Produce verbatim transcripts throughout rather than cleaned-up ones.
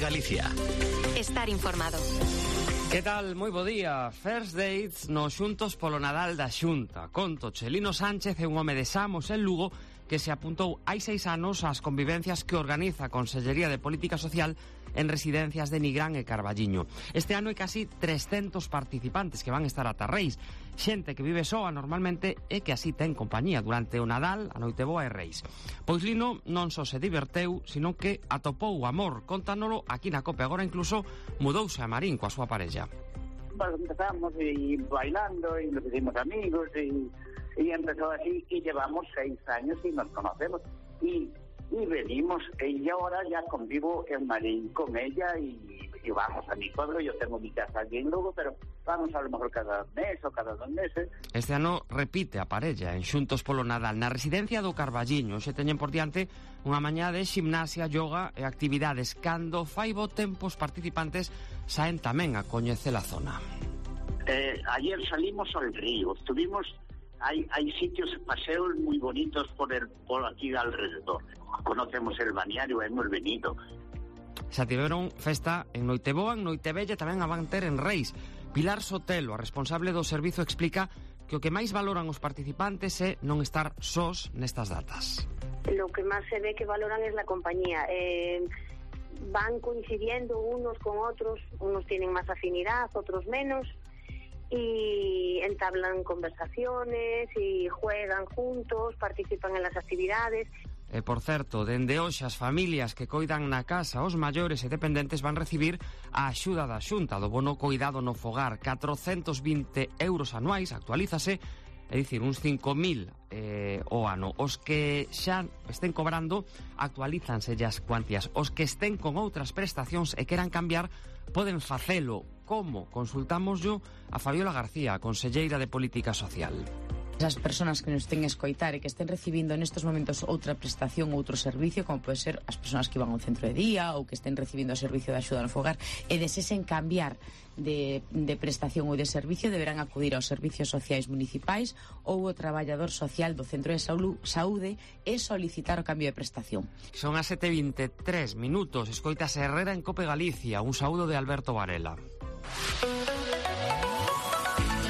Galicia. Estar informado. Que tal? Moi bo día. First dates no Xuntos polo Nadal da Xunta. Conto, Chelino Sánchez é un home de Samos en Lugo que se apuntou hai seis anos ás convivencias que organiza a Consellería de Política Social en residencias de Nigrán e Carballiño. Este ano hai casi trescentos participantes que van estar ata Reis. Xente que vive soa normalmente e que así ten compañía durante o Nadal, a Noiteboa e Reis. Pois Lino non só se diverteu, sino que atopou o amor. Contándolo aquí na COPE. Agora incluso mudouse a Marín coa súa parella. Pues empezamos y bailando y nos hicimos amigos y, y empezó así y llevamos seis años y nos conocemos y, y venimos y ahora ya convivo en Marín con ella y, y vamos a mi pueblo. Yo tengo mi casa aquí en Lugo, pero vamos a lo mejor cada mes o cada dos meses. Este ano repite a parella en Xuntos polo Nadal na residencia do Carballiño. Se teñen por diante unha mañá de gimnasia, yoga e actividades. Cando fai bo tempo os participantes saen tamén a coñecer a zona. Eh, ayer salimos al río, estuvimos, hay, hay sitios, paseos muy bonitos por, el, por aquí alrededor. Conocemos el balneario, hemos venido. Xa tiveron festa en Noiteboa, en Noitebella, tamén a van ter en Reis. Pilar Sotelo, a responsable do servizo, explica que o que máis valoran os participantes é non estar sós nestas datas. Lo que máis se ve que valoran es la compañía. Eh, van coincidiendo unos con otros, unos tienen más afinidad, otros menos, y entablan conversaciones y juegan juntos, participan en las actividades. E, por certo, dende hoxe as familias que coidan na casa os maiores e dependentes van recibir a axuda da Xunta do bono coidado no fogar, catrocentos vinte euros anuais, actualízase, é dicir, uns cinco mil eh, o ano. Os que xa estén cobrando actualízanse as cuantías. Os que estén con outras prestacións e queran cambiar poden facelo. Como? Consultámoslo a Fabiola García, a conselleira de Política Social. As persoas que nos estén a escoitar e que estén recibindo nestes momentos outra prestación, outro servicio, como pode ser as persoas que van ao centro de día ou que estén recibindo o servicio de axuda no fogar e desesen cambiar de, de prestación ou de servicio, deberán acudir aos servicios sociais municipais ou ao traballador social do centro de saúde e solicitar o cambio de prestación. Son as sete e vinte e tres minutos. Escoitas Herrera en Cope Galicia. Un saúdo de Alberto Varela.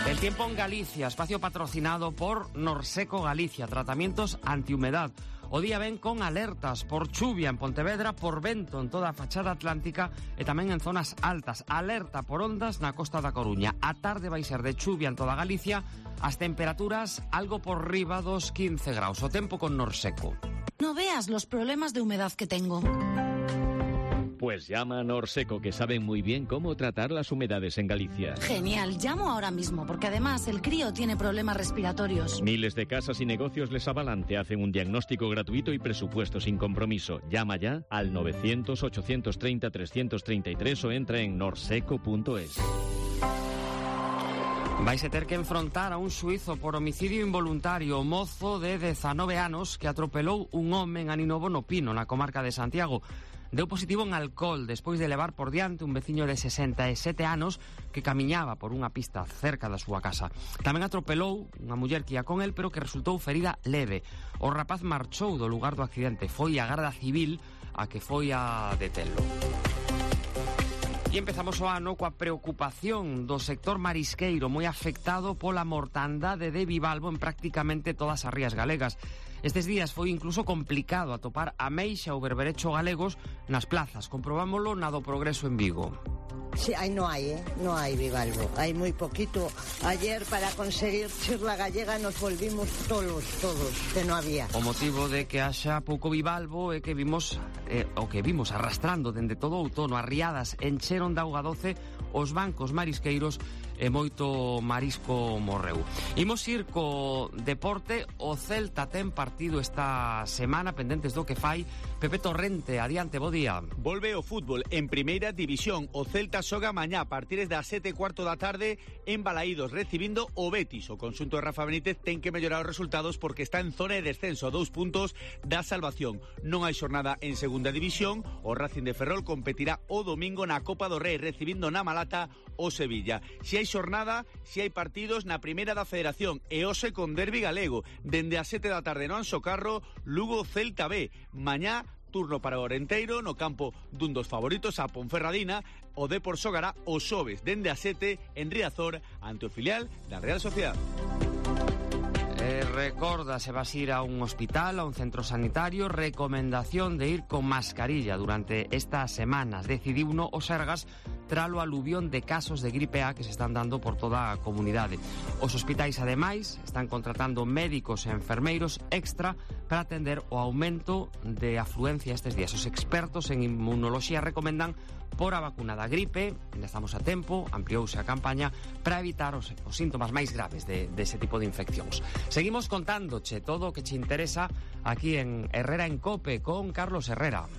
El tiempo en Galicia, espacio patrocinado por Norseco Galicia, tratamientos antihumedad. O día ven con alertas por chuvia en Pontevedra, por vento en toda a fachada atlántica e tamén en zonas altas. Alerta por ondas na costa da Coruña. A tarde vai ser de chuvia en toda Galicia, as temperaturas algo por riba dos quince graus. O tempo con Norseco. No veas los problemas de humedad que tengo. Pues llama a Norseco, que saben muy bien cómo tratar las humedades en Galicia. Genial, llamo ahora mismo, porque además el crío tiene problemas respiratorios. Miles de casas y negocios les avalan, te hacen un diagnóstico gratuito y presupuesto sin compromiso. Llama ya al novecientos, ochocientos treinta, trescientos treinta y tres o entra en norseco punto es. Vais a ter que enfrontar a un suizo por homicidio involuntario. O mozo de dezanove anos que atropelou un home en Aninovo no Pino, na comarca de Santiago. Deu positivo en alcohol despois de levar por diante un veciño de sesenta e sete anos que camiñaba por unha pista cerca da súa casa. Tamén atropelou unha muller que ia con el, pero que resultou ferida leve. O rapaz marchou do lugar do accidente. Foi a Garda Civil a que foi a detelo. E empezamos o ano coa preocupación do sector marisqueiro, moi afectado pola mortandade de bivalvo en prácticamente todas as rías galegas. Estes días foi incluso complicado atopar ameixa ou berberecho galegos nas plazas. Comprobámoslo na do Progreso en Vigo. Sí, aí no hai, eh? no hai bivalvo, hai moi poquito. Ayer para conseguir chirla gallega nos volvimos todos, todos, que non había. O motivo de que haxa pouco bivalvo é que vimos eh, o que vimos arrastrando dende todo o outono. As riadas encheron de auga doce os bancos marisqueiros e moito marisco morreu. Imos ir co deporte. O Celta ten partido esta semana, pendentes do que fai. Pepe Torrente, adiante, bo día. Volve o fútbol en primeira división. O Celta xoga mañá a partir das sete e cuarto da tarde en Balaídos, recibindo o Betis. O conxunto de Rafa Benítez ten que mellorar os resultados porque está en zona de descenso a dous puntos da salvación. Non hai xornada en segunda división. O Racing de Ferrol competirá o domingo na Copa do Rei, recibindo na Malata o Sevilla. Si hai xornada, si hai partidos na primeira da Federación e hoxe con derbi galego. Dende as sete da tarde no Anxo Carro, Lugo Celta B. Mañá turno para o Orenteiro no campo dun dos favoritos, a Ponferradina. O Depor xogará o xoves dende a sete en Riazor ante o filial da Real Sociedade. Eh, recorda, se vas ir a un hospital, a un centro sanitario, recomendación de ir con mascarilla durante estas semanas. Decidiuno o Sergas tralo aluvión de casos de gripe A que se están dando por toda a comunidade. Os hospitais, ademais, están contratando médicos e enfermeiros extra para atender o aumento de afluencia estes días. Os expertos en inmunoloxía recomendan por a vacuna da gripe, ainda estamos a tempo, ampliouse a campaña para evitar os, os síntomas máis graves de, de ese tipo de infeccións. Seguimos contándoche todo o que che interesa aquí en Herrera en Cope con Carlos Herrera.